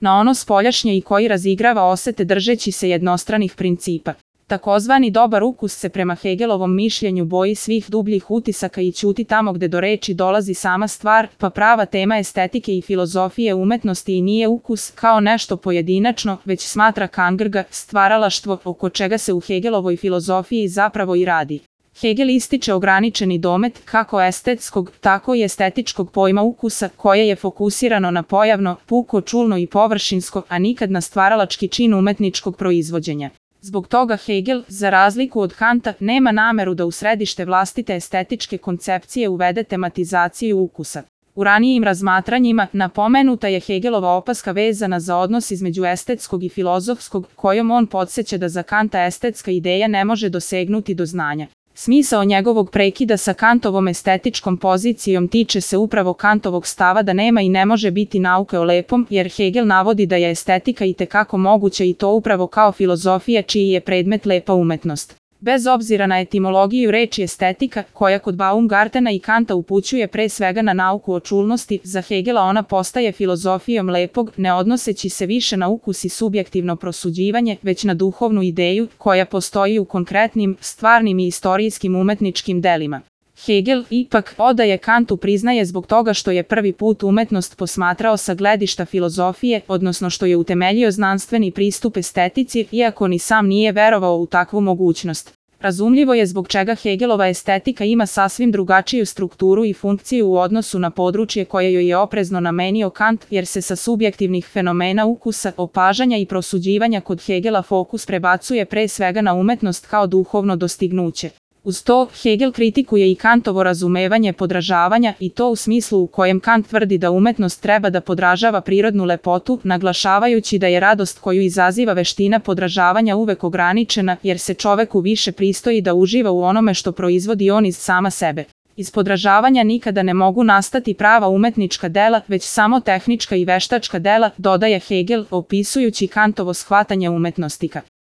na ono spoljašnje i koji razigrava osete držeći se jednostranih principa. Takozvani dobar ukus se prema Hegelovom mišljenju boji svih dubljih utisaka i ćuti tamo gde do reči dolazi sama stvar, pa prava tema estetike i filozofije umetnosti i nije ukus kao nešto pojedinačno, već smatra Kangrga stvaralaštvo oko čega se u Hegelovoj filozofiji zapravo i radi. Hegel ističe ograničeni domet kako estetskog, tako i estetičkog pojma ukusa koje je fokusirano na pojavno, puko, čulno i površinsko, a nikad na stvaralački čin umetničkog proizvođenja. Zbog toga Hegel, za razliku od Kanta, nema nameru da u središte vlastite estetičke koncepcije uvede tematizaciju ukusa. U ranijim razmatranjima napomenuta je Hegelova opaska vezana za odnos između estetskog i filozofskog, kojom on podsjeća da za Kanta estetska ideja ne može dosegnuti do znanja. Smisao njegovog prekida sa Kantovom estetičkom pozicijom tiče se upravo Kantovog stava da nema i ne može biti nauke o lepom, jer Hegel navodi da je estetika itekako moguća i to upravo kao filozofija čiji je predmet lepa umetnost. Bez obzira na etimologiju reči estetika, koja kod Baumgartena i Kanta upućuje pre svega na nauku o čulnosti, za Hegela ona postaje filozofijom lepog, ne odnoseći se više na ukus i subjektivno prosuđivanje, već na duhovnu ideju koja postoji u konkretnim, stvarnim i istorijskim umetničkim delima. Hegel ipak odaje Kantu priznaje zbog toga što je prvi put umetnost posmatrao sa gledišta filozofije, odnosno što je utemeljio znanstveni pristup estetici, iako ni sam nije verovao u takvu mogućnost. Razumljivo je zbog čega Hegelova estetika ima sasvim drugačiju strukturu i funkciju u odnosu na područje koje joj je oprezno namenio Kant, jer se sa subjektivnih fenomena ukusa, opažanja i prosuđivanja kod Hegela fokus prebacuje pre svega na umetnost kao duhovno dostignuće. Uz to, Hegel kritikuje i Kantovo razumevanje podražavanja i to u smislu u kojem Kant tvrdi da umetnost treba da podražava prirodnu lepotu, naglašavajući da je radost koju izaziva veština podražavanja uvek ograničena, jer se čoveku više pristoji da uživa u onome što proizvodi on iz sama sebe. Iz podražavanja nikada ne mogu nastati prava umetnička dela, već samo tehnička i veštačka dela, dodaje Hegel, opisujući Kantovo shvatanje umetnostika.